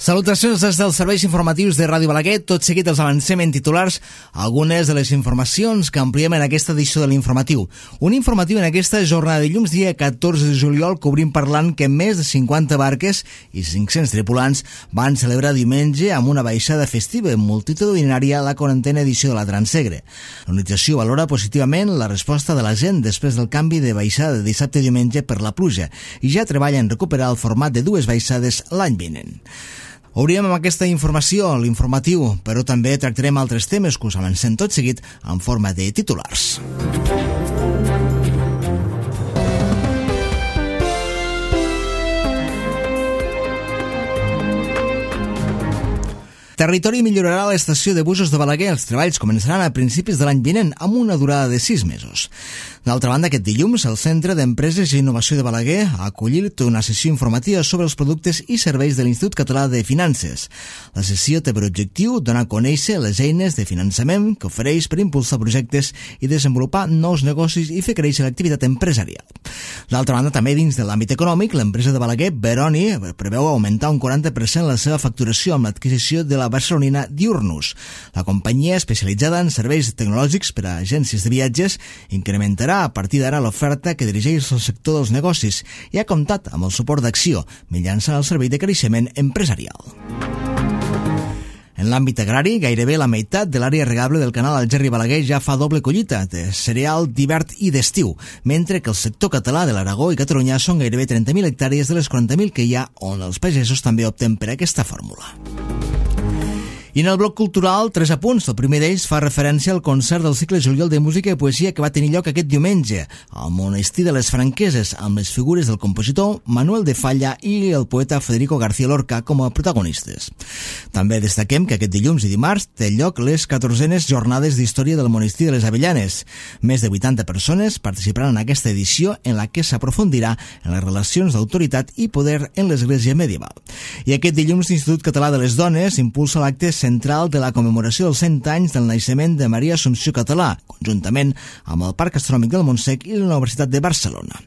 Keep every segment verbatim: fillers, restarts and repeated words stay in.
Salutacions des dels serveis informatius de Ràdio Balaguer. Tot seguit els avancem en titulars algunes de les informacions que ampliem en aquesta edició de l'informatiu. Un informatiu en aquesta jornada de dilluns, dia catorze de juliol, que obrim parlant que més de cinquanta barques i cinc-cents tripulants van celebrar diumenge amb una baixada festiva multitudinària a la quarantena edició de la Transegre. L'organització valora positivament la resposta de la gent després del canvi de baixada de dissabte i diumenge per la pluja i ja treballa en recuperar el format de dues baixades l'any vinent. Obrirem amb aquesta informació l'informatiu, però també tractarem altres temes que us avancem tot seguit en forma de titulars. Territori millorarà l'estació de busos de Balaguer. Els treballs començaran a principis de l'any vinent amb una durada de sis mesos. D'altra banda, aquest dilluns, el Centre d'Empreses i Innovació de Balaguer ha acollit una sessió informativa sobre els productes i serveis de l'Institut Català de Finances. La sessió té per objectiu donar a conèixer les eines de finançament que ofereix per impulsar projectes i desenvolupar nous negocis i fer créixer l'activitat empresarial. D'altra banda, també dins de l'àmbit econòmic, l'empresa de Balaguer, Veroni, preveu augmentar un quaranta per cent la seva facturació amb l'adquisició de la barcelonina Diurnus. La companyia, especialitzada en serveis tecnològics per a agències de viatges, incrementarà a partir d'ara l'oferta que dirigeix el sector dels negocis i ha comptat amb el suport d'Acció, mitjançant el servei de creixement empresarial. En l'àmbit agrari, gairebé la meitat de l'àrea regable del canal Algerri Balaguer ja fa doble collita de cereal d'hivern i d'estiu, mentre que el sector català de l'Aragó i Catalunya són gairebé trenta mil hectàrees de les quaranta mil que hi ha, on els pagesos també opten per aquesta fórmula. I en el bloc cultural, tres apunts. El primer d'ells fa referència al concert del cicle Juliol de Música i Poesia que va tenir lloc aquest diumenge al Monestir de les Franqueses, amb les figures del compositor Manuel de Falla i el poeta Federico García Lorca com a protagonistes. També destaquem que aquest dilluns i dimarts té lloc les catorzenes jornades d'història del Monestir de les Avellanes. Més de vuitanta persones participaran en aquesta edició en la que s'aprofundirà en les relacions d'autoritat i poder en l'església medieval. I aquest dilluns l'Institut Català de les Dones impulsa l'acte central de la commemoració dels cent anys del naixement de Maria Assumpció Català, conjuntament amb el Parc Astronòmic del Montsec i la Universitat de Barcelona.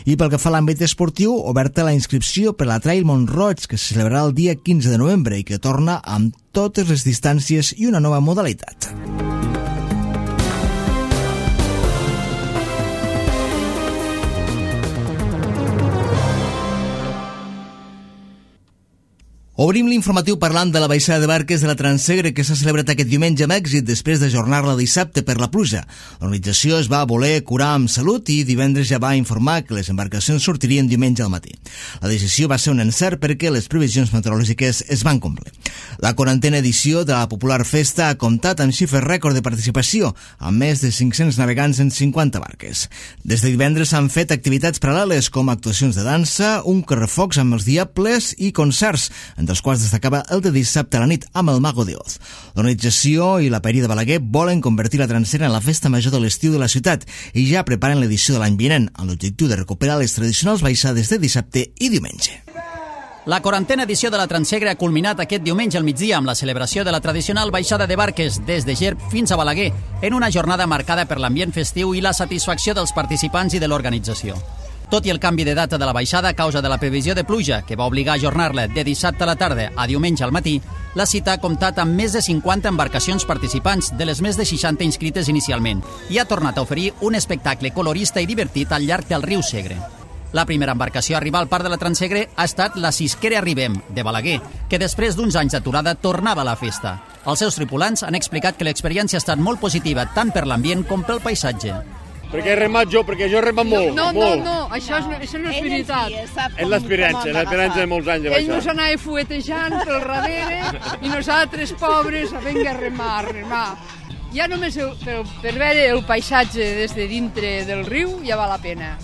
I pel que fa a l'àmbit esportiu, oberta la inscripció per la Trail Mont-roig, que se celebrarà el dia quinze de novembre i que torna amb totes les distàncies i una nova modalitat. Obrim l'informatiu parlant de la baixada de barques de la Transegre que s'ha celebrat aquest diumenge amb èxit després d'ajornar-la dissabte per la pluja. L'organització es va voler curar amb salut i divendres ja va informar que les embarcacions sortirien diumenge al matí. La decisió va ser un encert perquè les previsions meteorològiques es van complir. La quarantena edició de la popular festa ha comptat amb xifres rècord de participació, amb més de cinc-cents navegants en cinquanta barques. Des de divendres s'han fet activitats paral·leles com actuacions de dansa, un correfocs amb els diables i concerts, dels quals destacava el de dissabte a la nit amb el Mago de Oz. L'organització i la Paeria de Balaguer volen convertir la Transegre en la festa major de l'estiu de la ciutat i ja preparen l'edició de l'any vinent amb l'objectiu de recuperar les tradicionals baixades de dissabte i diumenge. La quarantena edició de la Transegre ha culminat aquest diumenge al migdia amb la celebració de la tradicional baixada de barques des de Gerb fins a Balaguer, en una jornada marcada per l'ambient festiu i la satisfacció dels participants i de l'organització. Tot i el canvi de data de la baixada a causa de la previsió de pluja, que va obligar a ajornar-la de dissabte a la tarda a diumenge al matí, la cita ha comptat amb més de cinquanta embarcacions participants, de les més de seixanta inscrites inicialment, i ha tornat a oferir un espectacle colorista i divertit al llarg del riu Segre. La primera embarcació a arribar al parc de la Transegre ha estat la Cisquera Arribem, de Balaguer, que després d'uns anys d'aturada tornava a la festa. Els seus tripulants han explicat que l'experiència ha estat molt positiva tant per l'ambient com pel paisatge. Perquè he remat jo, perquè jo he remat molt. No, no, molt. no, això, és, això no és veritat. És l'experiència, l'experiència de molts anys de Ell baixar. nos anava fuetejant pel darrere i nosaltres, pobres, a venga a remar, a remar. Ja només el, per, per veure el paisatge des de dintre del riu ja val la pena.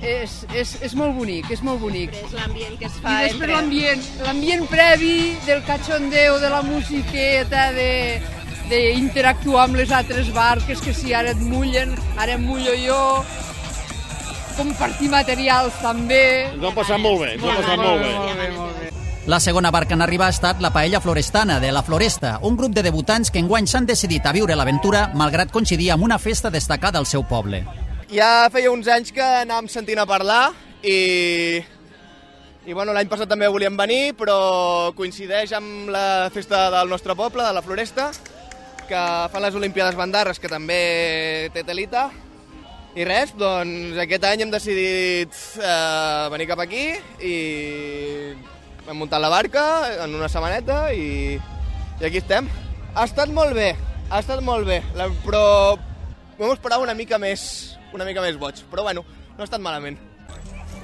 És, és, és molt bonic, és molt bonic. És l'ambient que es fa I després entre... l'ambient, l'ambient previ del cachondeo, de la musiqueta, de... d'interactuar amb les altres barques, que si ara et mullen, ara em mullo jo, compartir materials també. Ens ho hem passat molt bé, ens ho hem passat molt bé. Molt bé, molt bé. La segona barca en arribar ha estat la Paella Florestana, de la Floresta, un grup de debutants que enguany s'han decidit a viure l'aventura malgrat coincidir amb una festa destacada al seu poble. Ja feia uns anys que anàvem sentint a parlar i I bueno, l'any passat també volíem venir, però coincideix amb la festa del nostre poble, de la Floresta, que fan les Olimpíades Bandarres, que també té telita. I res, doncs aquest any hem decidit eh, venir cap aquí i hem muntat la barca en una setmaneta i, i aquí estem. Ha estat molt bé, ha estat molt bé, la, però vam esperar una mica més, una mica més boig, però bueno, no ha estat malament.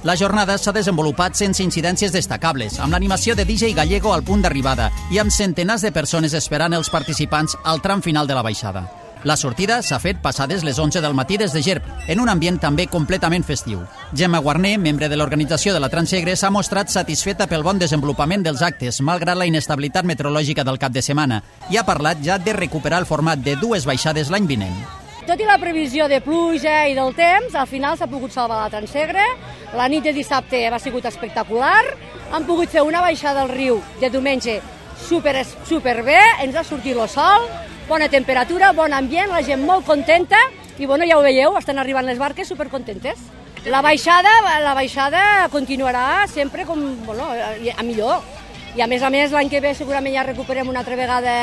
La jornada s'ha desenvolupat sense incidències destacables, amb l'animació de D J Gallego al punt d'arribada i amb centenars de persones esperant els participants al tram final de la baixada. La sortida s'ha fet passades les onze del matí des de Gerb, en un ambient també completament festiu. Gemma Guarner, membre de l'organització de la Transegre, s'ha mostrat satisfeta pel bon desenvolupament dels actes, malgrat la inestabilitat meteorològica del cap de setmana, i ha parlat ja de recuperar el format de dues baixades l'any vinent. Tot i la previsió de pluja i del temps, al final s'ha pogut salvar la Transegre. La nit de dissabte ha sigut espectacular. Han pogut fer una baixada al riu de diumenge super, super bé, ens ha sortit el sol, bona temperatura, bon ambient, la gent molt contenta i bueno, ja ho veieu, estan arribant les barques supercontentes. La baixada, la baixada continuarà sempre com, bueno, a millor. I a més a més l'any que ve segurament ja recuperem una altra vegada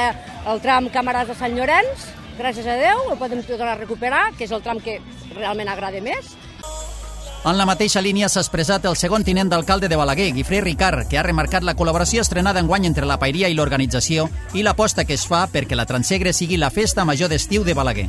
el tram Camaràs de Sant Llorenç, gràcies a Déu, ho podem tornar a recuperar, que és el tram que realment agrada més. En la mateixa línia s'ha expressat el segon tinent d'alcalde de Balaguer, Guifré Ricard, que ha remarcat la col·laboració estrenada enguany entre la paeria i l'organització i l'aposta que es fa perquè la Transegre sigui la festa major d'estiu de Balaguer.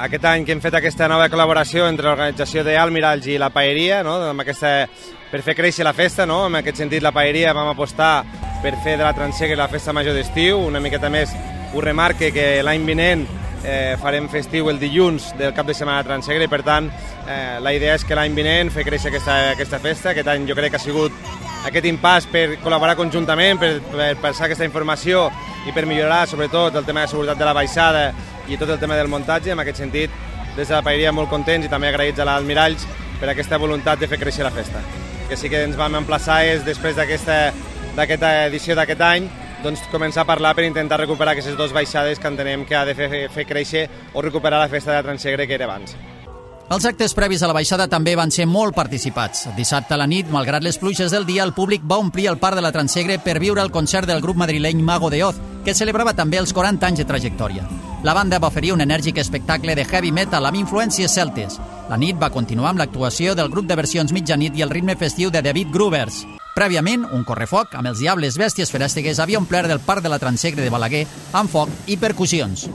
Aquest any que hem fet aquesta nova col·laboració entre l'organització d'Almiralls i la paeria, no? Amb aquesta, per fer créixer la festa, no? En aquest sentit la paeria vam apostar per fer de la Transegre la festa major d'estiu, una miqueta més ho remarque que l'any vinent Eh, farem festiu el dilluns del cap de setmana de Transegre i per tant eh, la idea és que l'any vinent fer créixer aquesta, aquesta festa. Aquest any jo crec que ha sigut aquest impàs per col·laborar conjuntament, per, per passar aquesta informació i per millorar sobretot el tema de seguretat de la baixada i tot el tema del muntatge. En aquest sentit, des de la paeria molt contents i també agraïts a l'Almiralls per aquesta voluntat de fer créixer la festa. Que sí que ens vam emplaçar és després d'aquesta d'aquesta edició d'aquest any doncs començar a parlar per intentar recuperar aquestes dues baixades que entenem que ha de fer, fer créixer o recuperar la festa de Transegre que era abans. Els actes previs a la baixada també van ser molt participats. Dissabte a la nit, malgrat les pluges del dia, el públic va omplir el parc de la Transegre per viure el concert del grup madrileny Mago de Oz, que celebrava també els quaranta anys de trajectòria. La banda va oferir un enèrgic espectacle de heavy metal amb influències celtes. La nit va continuar amb l'actuació del grup de versions mitjanit i el ritme festiu de David Groovers. Prèviament, un correfoc amb els Diables Bèsties Ferèstegues havia omplert el parc de la Transegre de Balaguer amb foc i percussions.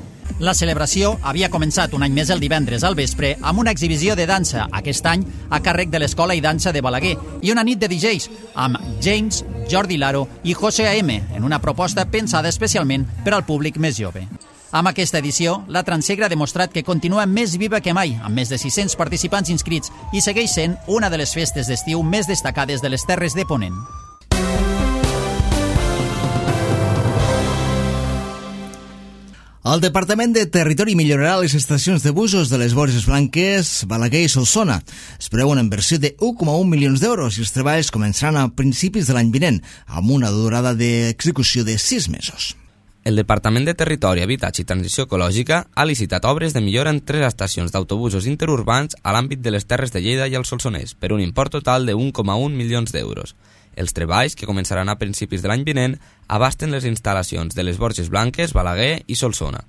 La celebració havia començat un any més el divendres al vespre amb una exhibició de dansa, aquest any a càrrec de l'Escola i Dansa de Balaguer, i una nit de D Js amb James, Jordi Laro i José A M, en una proposta pensada especialment per al públic més jove. Amb aquesta edició, la Transegre ha demostrat que continua més viva que mai, amb més de sis-cents participants inscrits, i segueix sent una de les festes d'estiu més destacades de les Terres de Ponent. El Departament de Territori millorarà les estacions de busos de les Borges Blanques, Balaguer i Solsona. Es preveu una inversió de un coma un milions d'euros i els treballs començaran a principis de l'any vinent, amb una durada d'execució de sis mesos. El Departament de Territori, Habitatge i Transició Ecològica ha licitat obres de millora en tres estacions d'autobusos interurbans a l'àmbit de les Terres de Lleida i el Solsonès, per un import total de un coma un milions d'euros. Els treballs, que començaran a principis de l'any vinent, abasten les instal·lacions de les Borges Blanques, Balaguer i Solsona.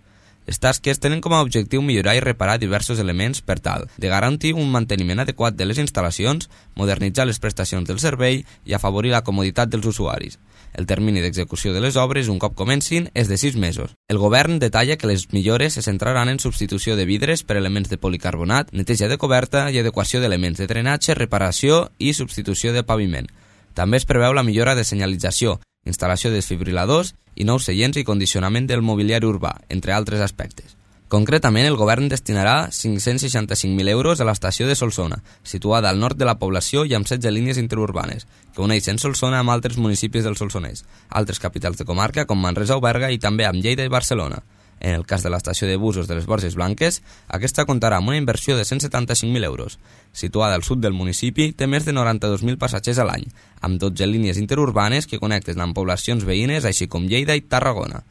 Les tasques tenen com a objectiu millorar i reparar diversos elements per tal de garantir un manteniment adequat de les instal·lacions, modernitzar les prestacions del servei i afavorir la comoditat dels usuaris. El termini d'execució de les obres, un cop comencin, és de sis mesos. El govern detalla que les millores se centraran en substitució de vidres per elements de policarbonat, neteja de coberta i adequació d'elements de drenatge, reparació i substitució de paviment. També es preveu la millora de senyalització, instal·lació de desfibriladors i nous seients i condicionament del mobiliari urbà, entre altres aspectes. Concretament, el govern destinarà cinc-cents seixanta-cinc mil euros a l'estació de Solsona, situada al nord de la població i amb setze línies interurbanes, que uneixen Solsona amb altres municipis del Solsonès, altres capitals de comarca com Manresa o Berga i també amb Lleida i Barcelona. En el cas de l'estació de busos de les Borges Blanques, aquesta comptarà amb una inversió de cent setanta-cinc mil euros. Situada al sud del municipi, té més de noranta-dos mil passatgers a l'any, amb dotze línies interurbanes que connecten amb poblacions veïnes, així com Lleida i Tarragona.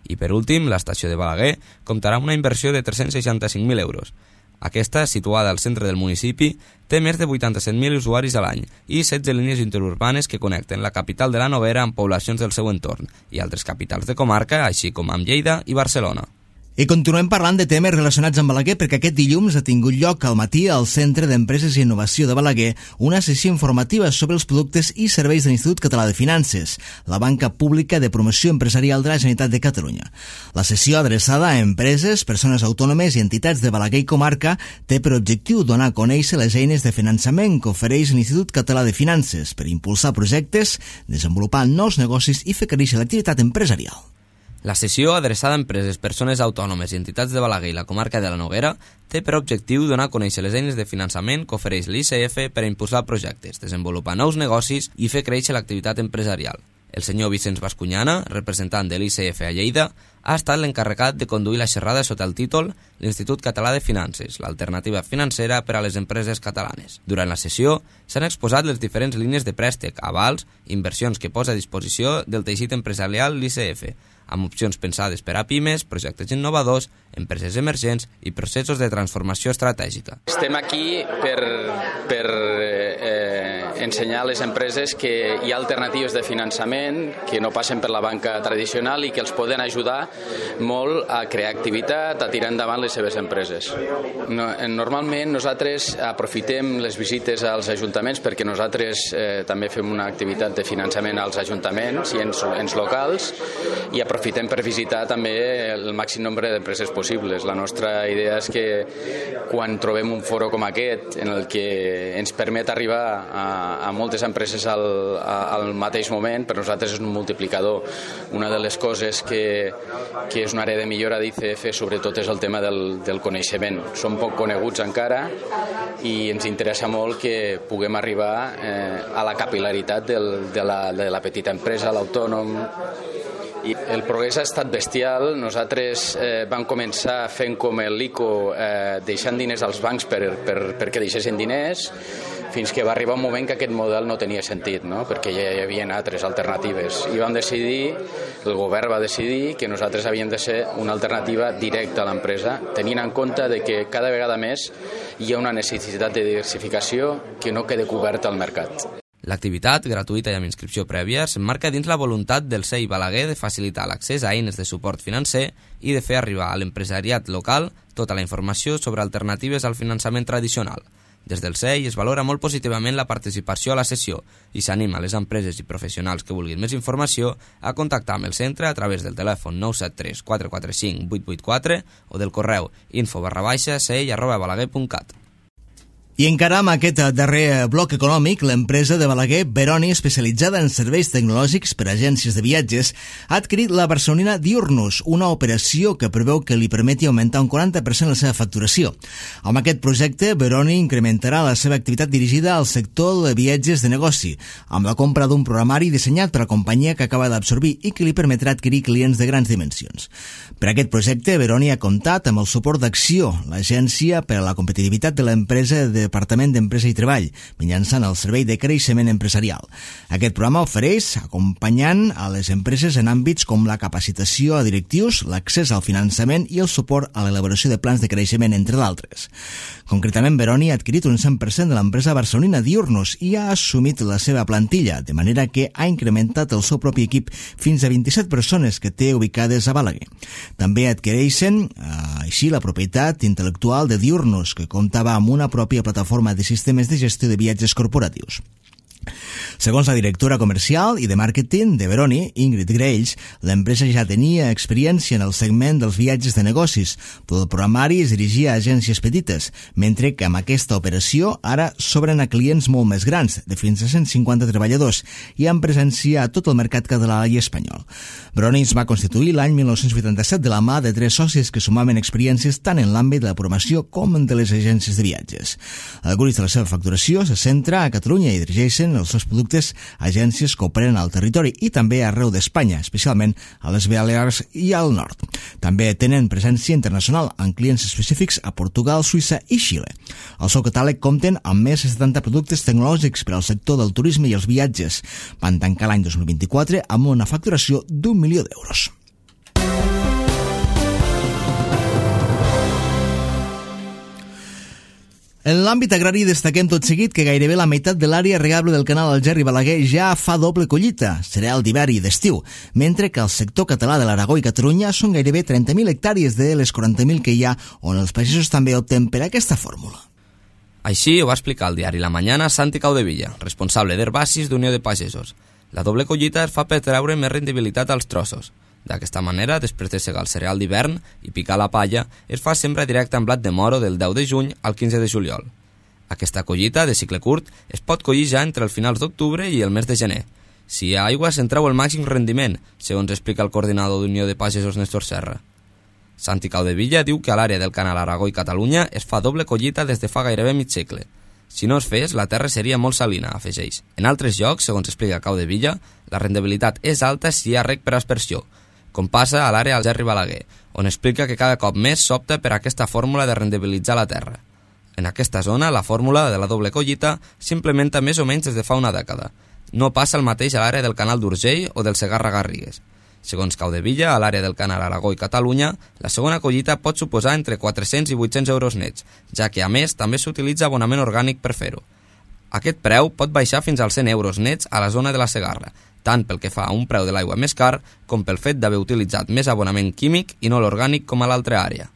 I per últim, l'estació de Balaguer comptarà amb una inversió de tres-cents seixanta-cinc mil euros. Aquesta, situada al centre del municipi, té més de vuitanta-set mil usuaris a l'any i setze línies interurbanes que connecten la capital de la Noguera amb poblacions del seu entorn i altres capitals de comarca, així com amb Lleida i Barcelona. I continuem parlant de temes relacionats amb Balaguer perquè aquest dilluns ha tingut lloc al matí al Centre d'Empreses i Innovació de Balaguer una sessió informativa sobre els productes i serveis de l'Institut Català de Finances, la banca pública de promoció empresarial de la Generalitat de Catalunya. La sessió adreçada a empreses, persones autònomes i entitats de Balaguer i comarca té per objectiu donar a conèixer les eines de finançament que ofereix l'Institut Català de Finances per impulsar projectes, desenvolupar nous negocis i fer créixer l'activitat empresarial. La sessió, adreçada a empreses, persones autònomes i entitats de Balaguer i la comarca de la Noguera, té per objectiu donar a conèixer les eines de finançament que ofereix l'I C F per a impulsar projectes, desenvolupar nous negocis i fer créixer l'activitat empresarial. El senyor Vicenç Bascuñana, representant de l'I C F a Lleida, ha estat l'encarregat de conduir la xerrada sota el títol l'Institut Català de Finances, l'alternativa financera per a les empreses catalanes. Durant la sessió s'han exposat les diferents línies de préstec, avals, inversions que posa a disposició del teixit empresarial l'I C F, amb opcions pensades per a pimes, projectes innovadors, empreses emergents i processos de transformació estratègica. Estem aquí per, per eh, ensenyar a les empreses que hi ha alternatives de finançament que no passen per la banca tradicional i que els poden ajudar molt a crear activitat, a tirar endavant les seves empreses. No, normalment nosaltres aprofitem les visites als ajuntaments perquè nosaltres eh, també fem una activitat de finançament als ajuntaments i ens, ens locals i aprofitem per visitar també el màxim nombre d'empreses possibles. La nostra idea és que quan trobem un foro com aquest en el que ens permet arribar a, a moltes empreses al, a, al mateix moment, per nosaltres és un multiplicador. Una de les coses que, que és una àrea de millora d'I C F sobretot és el tema del, del coneixement. Som poc coneguts encara i ens interessa molt que puguem arribar eh, a la capil·laritat del, de, la, de la petita empresa, l'autònom. I el progrés ha estat bestial. Nosaltres eh, vam començar fent com l'I C O, eh, deixant diners als bancs per, per, perquè deixessin diners, fins que va arribar un moment que aquest model no tenia sentit, no? Perquè ja hi havia altres alternatives. I vam decidir, el govern va decidir que nosaltres havíem de ser una alternativa directa a l'empresa, tenint en compte de que cada vegada més hi ha una necessitat de diversificació que no quede coberta al mercat. L'activitat, gratuïta i amb inscripció prèvia, s'emmarca dins la voluntat del C E I Balaguer de facilitar l'accés a eines de suport financer i de fer arribar a l'empresariat local tota la informació sobre alternatives al finançament tradicional. Des del C E I es valora molt positivament la participació a la sessió i s'anima a les empreses i professionals que vulguin més informació a contactar amb el centre a través del telèfon nou set tres quatre quatre cinc vuit vuit quatre o del correu info barra baixa sei arroba balaguer punt cat. I encara amb aquest darrer bloc econòmic, l'empresa de Balaguer, Veroni, especialitzada en serveis tecnològics per a agències de viatges, ha adquirit la barcelonina Diurnus, una operació que preveu que li permeti augmentar un quaranta per cent la seva facturació. Amb aquest projecte, Veroni incrementarà la seva activitat dirigida al sector de viatges de negoci, amb la compra d'un programari dissenyat per la companyia que acaba d'absorbir i que li permetrà adquirir clients de grans dimensions. Per aquest projecte, Veroni ha comptat amb el suport d'Acció, l'agència per a la competitivitat de l'empresa de Departament d'Empresa i Treball, mitjançant el Servei de Creixement Empresarial. Aquest programa ofereix acompanyant a les empreses en àmbits com la capacitació a directius, l'accés al finançament i el suport a l'elaboració de plans de creixement, entre d'altres. Concretament, Veroni ha adquirit un cent per cent de l'empresa barcelonina Diurnus i ha assumit la seva plantilla, de manera que ha incrementat el seu propi equip fins a vint-i-set persones que té ubicades a Balaguer. També adquireixen eh, així la propietat intel·lectual de Diurnus, que comptava amb una pròpia plataforma de sistemes de gestió de viatges corporatius. Segons la directora comercial i de màrqueting de Veroni, Ingrid Grells, l'empresa ja tenia experiència en el segment dels viatges de negocis, però el programari es dirigia a agències petites, mentre que amb aquesta operació ara s'obren a clients molt més grans, de fins a cent cinquanta treballadors, i amb presència a tot el mercat català i espanyol. Veroni es va constituir l'any mil nou-cents vuitanta-set de la mà de tres socis que sumaven experiències tant en l'àmbit de la promoció com en de les agències de viatges. El gruix de la seva facturació se centra a Catalunya i dirigeixen els seus productes a agències que operen al territori i també arreu d'Espanya, especialment a les Balears i al nord. També tenen presència internacional amb clients específics a Portugal, Suïssa i Xile. El seu catàleg compten amb més de setanta productes tecnològics per al sector del turisme i els viatges. Van tancar l'any dos mil vint-i-quatre amb una facturació d'un milió d'euros. En l'àmbit agrari destaquem tot seguit que gairebé la meitat de l'àrea regable del canal Algerri Balaguer ja fa doble collita, cereal d'hivern i d'estiu, mentre que al sector català de l'Aragó i Catalunya són gairebé trenta mil hectàrees de les quaranta mil que hi ha, on els pagesos també opten per aquesta fórmula. Així ho va explicar al diari La Mañana Santi Caudevilla, responsable d'Herbacis d'Unió de Pagesos. La doble collita es fa per treure més rendibilitat als trossos. D'aquesta manera, després de segar el cereal d'hivern i picar la palla, es fa sembra directa en blat de moro del deu de juny al quinze de juliol. Aquesta collita, de cicle curt, es pot collir ja entre els finals d'octubre i el mes de gener. Si hi ha aigua, se'n treu el màxim rendiment, segons explica el coordinador d'Unió de Pagesos Néstor Serra. Santi Caudevilla diu que a l'àrea del canal Aragó i Catalunya es fa doble collita des de fa gairebé mig segle. Si no es fes, la terra seria molt salina, afegeix. En altres llocs, segons explica Caudevilla, la rendibilitat és alta si hi ha reg per aspersió, com passa a l'àrea Algerri Balaguer, on explica que cada cop més s'opta per aquesta fórmula de rendibilitzar la terra. En aquesta zona, la fórmula de la doble collita s'implementa més o menys des de fa una dècada. No passa el mateix a l'àrea del canal d'Urgell o del Segarra-Garrigues. Segons Caudevilla, a l'àrea del canal Aragó i Catalunya, la segona collita pot suposar entre quatre-cents i vuit-cents euros nets, ja que a més també s'utilitza abonament orgànic per fer-ho. Aquest preu pot baixar fins als cent euros nets a la zona de la Segarra, tant pel que fa a un preu de l'aigua més car com pel fet d'haver utilitzat més abonament químic i no l'orgànic com a l'altra àrea.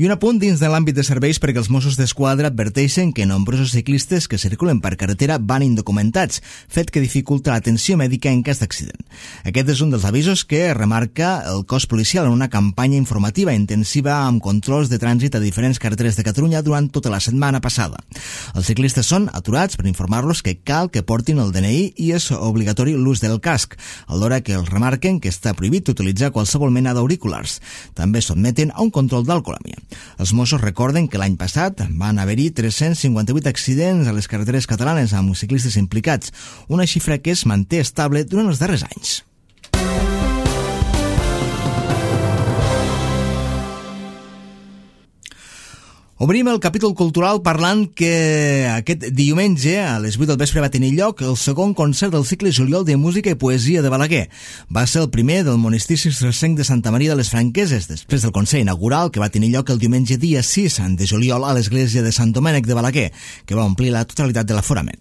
I un apunt dins de l'àmbit de serveis perquè els Mossos d'Esquadra adverteixen que nombrosos ciclistes que circulen per carretera van indocumentats, fet que dificulta l'atenció mèdica en cas d'accident. Aquest és un dels avisos que remarca el cos policial en una campanya informativa intensiva amb controls de trànsit a diferents carreteres de Catalunya durant tota la setmana passada. Els ciclistes són aturats per informar-los que cal que portin el D N I i és obligatori l'ús del casc, alhora que els remarquen que està prohibit utilitzar qualsevol mena d'auriculars. També sotmeten a un control d'alcoholèmia. Els Mossos recorden que l'any passat van haver-hi tres-cents cinquanta-vuit accidents a les carreteres catalanes amb ciclistes implicats, una xifra que es manté estable durant els darrers anys. Obrim el capítol cultural parlant que aquest diumenge a les vuit del vespre va tenir lloc el segon concert del cicle Juliol de Música i Poesia de Balaguer. Va ser el primer del monestir cistercenc de Santa Maria de les Franqueses, després del concert inaugural que va tenir lloc el diumenge dia sis de juliol a l'església de Sant Domènec de Balaguer, que va omplir la totalitat de l'aforament.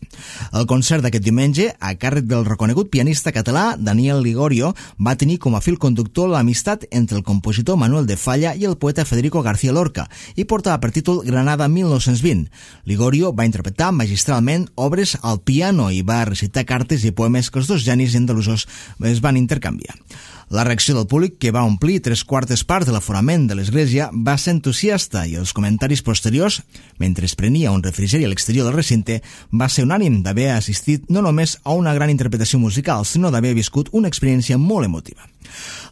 El concert d'aquest diumenge, a càrrec del reconegut pianista català Daniel Ligorio, va tenir com a fil conductor l'amistat entre el compositor Manuel de Falla i el poeta Federico García Lorca, i portava per títol Granada mil nou-cents vint. Ligorio va interpretar magistralment obres al piano i va recitar cartes i poemes que els dos genis andalusos es van intercanviar. La reacció del públic, que va omplir tres quartes parts de l'aforament de l'església, va ser entusiasta i els comentaris posteriors, mentre es prenia un refrigeri a l'exterior del recinte, va ser unànim d'haver assistit no només a una gran interpretació musical, sinó d'haver viscut una experiència molt emotiva.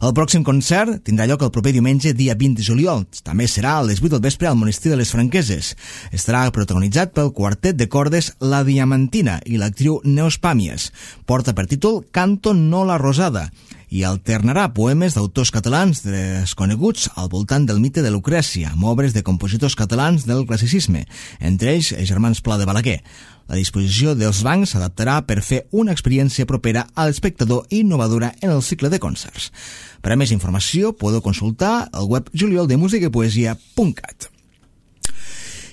El pròxim concert tindrà lloc el proper diumenge, dia vint de juliol. També serà a les vuit del vespre al monestir de les Franqueses. Estarà protagonitzat pel quartet de cordes La Diamantina i l'actriu Neus Pàmies. Porta per títol Canto no la Rosada i alternarà poemes d'autors catalans desconeguts al voltant del mite de Lucrècia, amb obres de compositors catalans del classicisme, entre ells els germans Pla de Balaguer. La disposició dels bancs s'adaptarà per fer una experiència propera a l'espectador i innovadora en el cicle de concerts. Per a més informació podeu consultar el web juliol de música i poesia punt cat.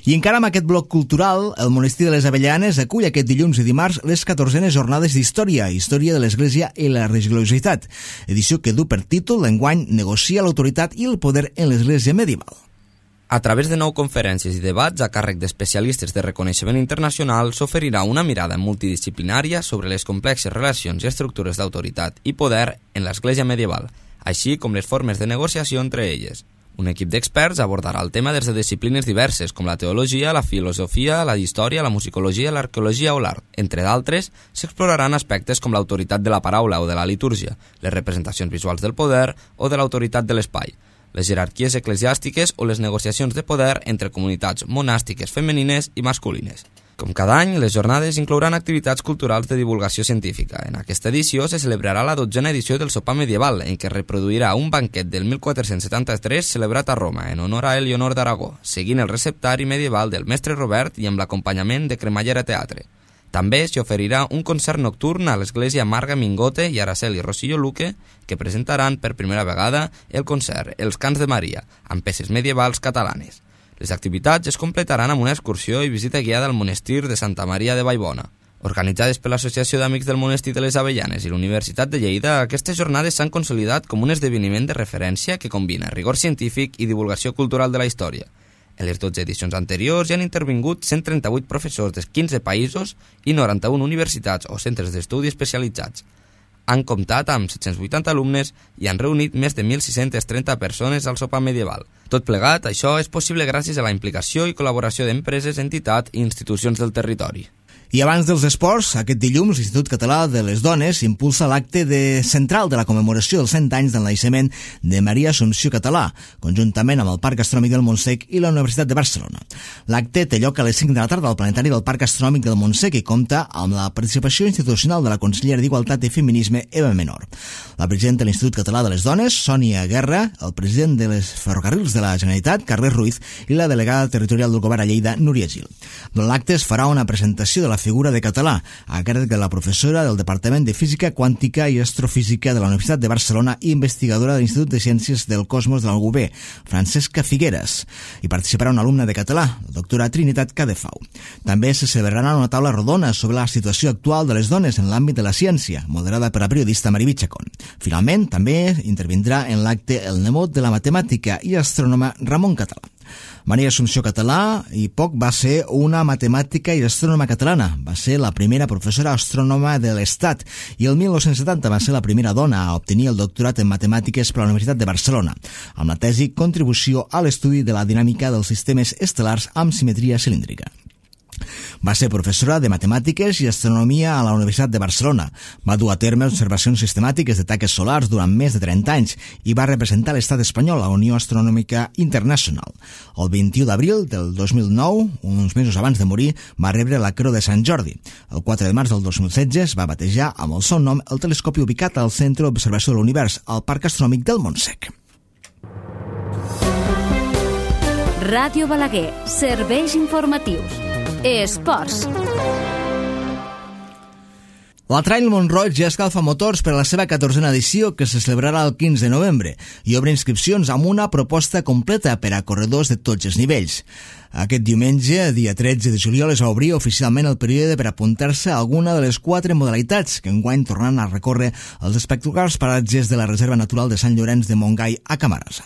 I encara amb aquest bloc cultural, el monestir de les Avellanes acull aquest dilluns i dimarts les catorzenes jornades d'història, història de l'Església i la religiositat, edició que du per títol l'enguany Negocia l'autoritat i el poder en l'Església medieval. A través de nou conferències i debats a càrrec d'especialistes de reconeixement internacional s'oferirà una mirada multidisciplinària sobre les complexes relacions i estructures d'autoritat i poder en l'Església medieval, així com les formes de negociació entre elles. Un equip d'experts abordarà el tema des de disciplines diverses com la teologia, la filosofia, la història, la musicologia, l'arqueologia o l'art. Entre d'altres, s'exploraran aspectes com l'autoritat de la paraula o de la litúrgia, les representacions visuals del poder o de l'autoritat de l'espai, les jerarquies eclesiàstiques o les negociacions de poder entre comunitats monàstiques femenines i masculines. Com cada any, les jornades inclouran activitats culturals de divulgació científica. En aquesta edició se celebrarà la dotzena edició del sopar medieval, en què reproduirà un banquet del mil quatre-cents setanta-tres celebrat a Roma en honor a Elionor d'Aragó, seguint el receptari medieval del mestre Robert i amb l'acompanyament de Cremallera Teatre. També s'hi oferirà un concert nocturn a l'església Marga Mingote i Araceli Rosillo Luque, que presentaran per primera vegada el concert Els Cants de Maria, amb peces medievals catalanes. Les activitats es completaran amb una excursió i visita guiada al monestir de Santa Maria de Vallbona. Organitzades per l'Associació d'Amics del Monestir de les Avellanes i la Universitat de Lleida, aquestes jornades s'han consolidat com un esdeveniment de referència que combina rigor científic i divulgació cultural de la història. En les dotze edicions anteriors hi han intervingut cent trenta-vuit professors de quinze països i noranta-una universitats o centres d'estudi especialitzats. Han comptat amb set-cents vuitanta alumnes i han reunit més de mil sis-cents trenta persones al sopar medieval. Tot plegat, això és possible gràcies a la implicació i col·laboració d'empreses, entitats i institucions del territori. I abans dels esports, aquest dilluns l'Institut Català de les Dones impulsa l'acte de central de la commemoració dels cent anys del naixement de Maria Assumpció Català, conjuntament amb el Parc Astronòmic del Montsec i la Universitat de Barcelona. L'acte té lloc a les cinc de la tarda al planetari del Parc Astronòmic del Montsec i compta amb la participació institucional de la consellera d'Igualtat i Feminisme, Eva Menor. La presidenta de l'Institut Català de les Dones, Sònia Guerra, el president de les Ferrocarrils de la Generalitat, Carles Ruiz, i la delegada territorial del Govern a Lleida, Núria Gil. Durant l'acte es farà una presentació de la figura de Català, a càrrec de la professora del Departament de Física Quàntica i Astrofísica de la Universitat de Barcelona i investigadora de l'Institut de Ciències del Cosmos de la U B, Francesca Figueres. Hi participarà una alumna de català, la doctora Trinitat Cadefau. També se celebrarà una taula rodona sobre la situació actual de les dones en l'àmbit de la ciència, moderada per la periodista Mariví Chacón. Finalment, també intervindrà en l'acte el nebot de la matemàtica i astrònoma Ramon Català. Maria Assumpció Català i poc va ser una matemàtica i astrònoma catalana. Va ser la primera professora astrònoma de l'Estat i el mil nou-cents setanta va ser la primera dona a obtenir el doctorat en matemàtiques per la Universitat de Barcelona, amb la tesi Contribució a l'estudi de la dinàmica dels sistemes estel·lars amb simetria cilíndrica. Va ser professora de Matemàtiques i Astronomia a la Universitat de Barcelona. Va dur a terme observacions sistemàtiques de taques solars durant més de trenta anys i va representar l'estat espanyol a la Unió Astronòmica Internacional. El vint-i-u d'abril del dos mil nou, uns mesos abans de morir, va rebre la Creu de Sant Jordi. El quatre de març del dos mil setze es va batejar amb el seu nom el telescopi ubicat al Centre d'Observació de l'Univers, al Parc Astronòmic del Montsec. Ràdio Balaguer, serveis informatius. Esports. La Trail Mont-roig ja escalfa motors per a la seva catorzena edició, que se celebrarà el quinze de novembre, i obre inscripcions amb una proposta completa per a corredors de tots els nivells. Aquest diumenge, dia tretze de juliol, es va obrir oficialment el període per apuntar-se a alguna de les quatre modalitats que enguany tornaran a recórrer els espectaculars paratges de la Reserva Natural de Sant Llorenç de Montgai a Camarasa.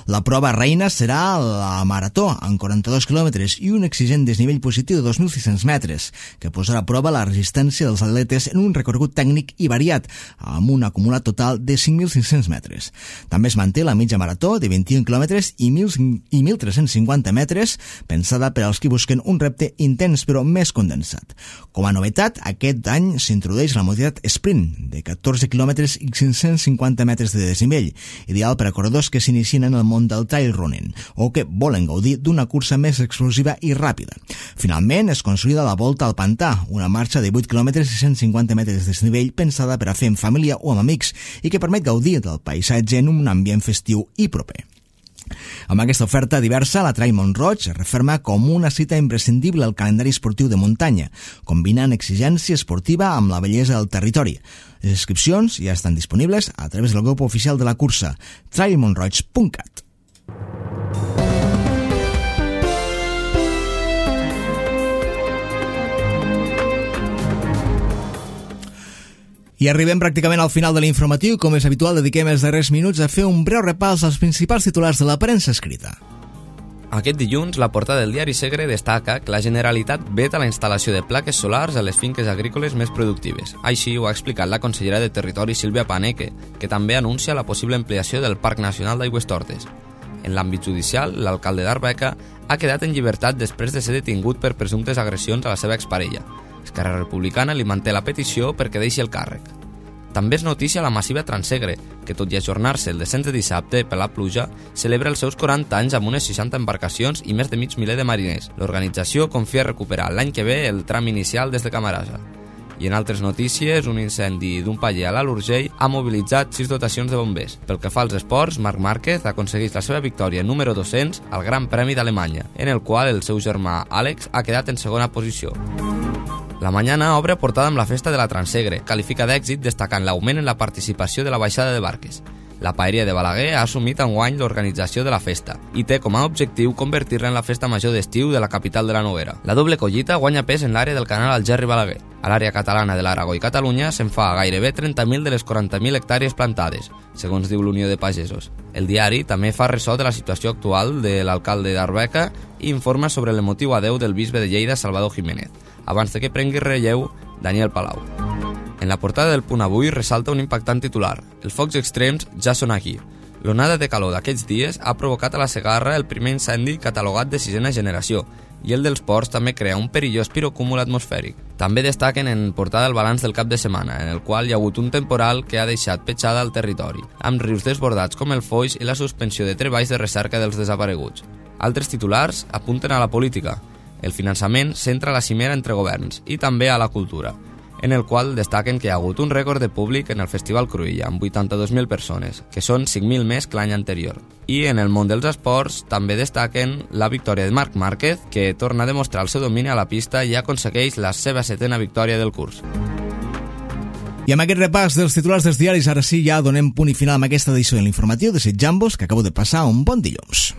La prova reina serà la marató, amb quaranta-dos quilòmetres i un exigent desnivell positiu de dos mil sis-cents metres, que posarà a prova la resistència dels atletes en un recorregut tècnic i variat, amb un acumulat total de cinc mil cinc-cents metres. També es manté la mitja marató de vint-i-un quilòmetres i mil tres-cents cinquanta metres, pensada per als qui busquen un repte intens però més condensat. Com a novetat, aquest any s'introdueix la modalitat sprint, de catorze quilòmetres i cinc-cents cinquanta metres de desnivell, ideal per a corredors que s'inicien en el món del trail running o que volen gaudir d'una cursa més explosiva i ràpida. Finalment, es consolida la Volta al Pantà, una marxa de vuit quilòmetres i cent cinquanta metres de desnivell pensada per a fer en família o amb amics i que permet gaudir del paisatge en un ambient festiu i proper. Amb aquesta oferta diversa, la Trail Mont-roig es referma com una cita imprescindible al calendari esportiu de muntanya, combinant exigència esportiva amb la bellesa del territori. Les inscripcions ja estan disponibles a través del grup oficial de la cursa, trail mont roig punt cat. I arribem pràcticament al final de l'informatiu. Com és habitual, dediquem els darrers minuts a fer un breu repàs als principals titulars de la premsa escrita. Aquest dilluns, la portada del diari Segre destaca que la Generalitat veta la instal·lació de plaques solars a les finques agrícoles més productives. Així ho ha explicat la consellera de Territori, Sílvia Paneque, que també anuncia la possible ampliació del Parc Nacional d'Aigüestortes. En l'àmbit judicial, l'alcalde d'Arbeca ha quedat en llibertat després de ser detingut per presumptes agressions a la seva exparella. Esquerra Republicana li manté la petició perquè deixi el càrrec. També és notícia la massiva Transsegre, que tot i ajornar-se el descens de dissabte per la pluja, celebra els seus quaranta anys amb unes seixanta embarcacions i més de mig miler de mariners. L'organització confia recuperar l'any que ve el tram inicial des de Camarasa. I en altres notícies, un incendi d'un paller a l'Alt Urgell ha mobilitzat sis dotacions de bombers. Pel que fa als esports, Marc Márquez aconsegueix la seva victòria número dos-cents al Gran Premi d'Alemanya, en el qual el seu germà Àlex ha quedat en segona posició. La Mañana obre portada amb la festa de la Transsegre, qualifica d'èxit destacant l'augment en la participació de la baixada de barques. La Paeria de Balaguer ha assumit enguany l'organització de la festa i té com a objectiu convertir-la en la festa major d'estiu de la capital de la Noguera. La doble collita guanya pes en l'àrea del canal Algerri Balaguer. A l'àrea catalana de l'Aragó i Catalunya se'n fa gairebé trenta mil de les quaranta mil hectàrees plantades, segons diu l'Unió de Pagesos. El diari també fa ressò de la situació actual de l'alcalde d'Arbeca i informa sobre l'emotiu adeu del bisbe de Lleida, Salvador Jiménez, abans de que prengui relleu Daniel Palau. En la portada del Punt Avui ressalta un impactant titular. Els focs extrems ja són aquí. L'onada de calor d'aquests dies ha provocat a la Segarra el primer incendi catalogat de sisena generació i el dels ports també crea un perillós pirocúmul atmosfèric. També destaquen en portada el balanç del cap de setmana, en el qual hi ha hagut un temporal que ha deixat petjada al territori, amb rius desbordats com el Foix i la suspensió de treballs de recerca dels desapareguts. Altres titulars apunten a la política. El finançament centra la cimera entre governs i també a la cultura, en el qual destaquen que hi ha hagut un rècord de públic en el Festival Cruïlla, amb vuitanta-dos mil persones, que són cinc mil més que l'any anterior. I en el món dels esports també destaquen la victòria de Marc Márquez, que torna a demostrar el seu domini a la pista i aconsegueix la seva setena victòria del curs. I amb aquest repàs dels titulars dels diaris, ara sí ja donem punt i final amb aquesta edició de l'informatiu, desitjant-vos que acabo de passar un bon dilluns.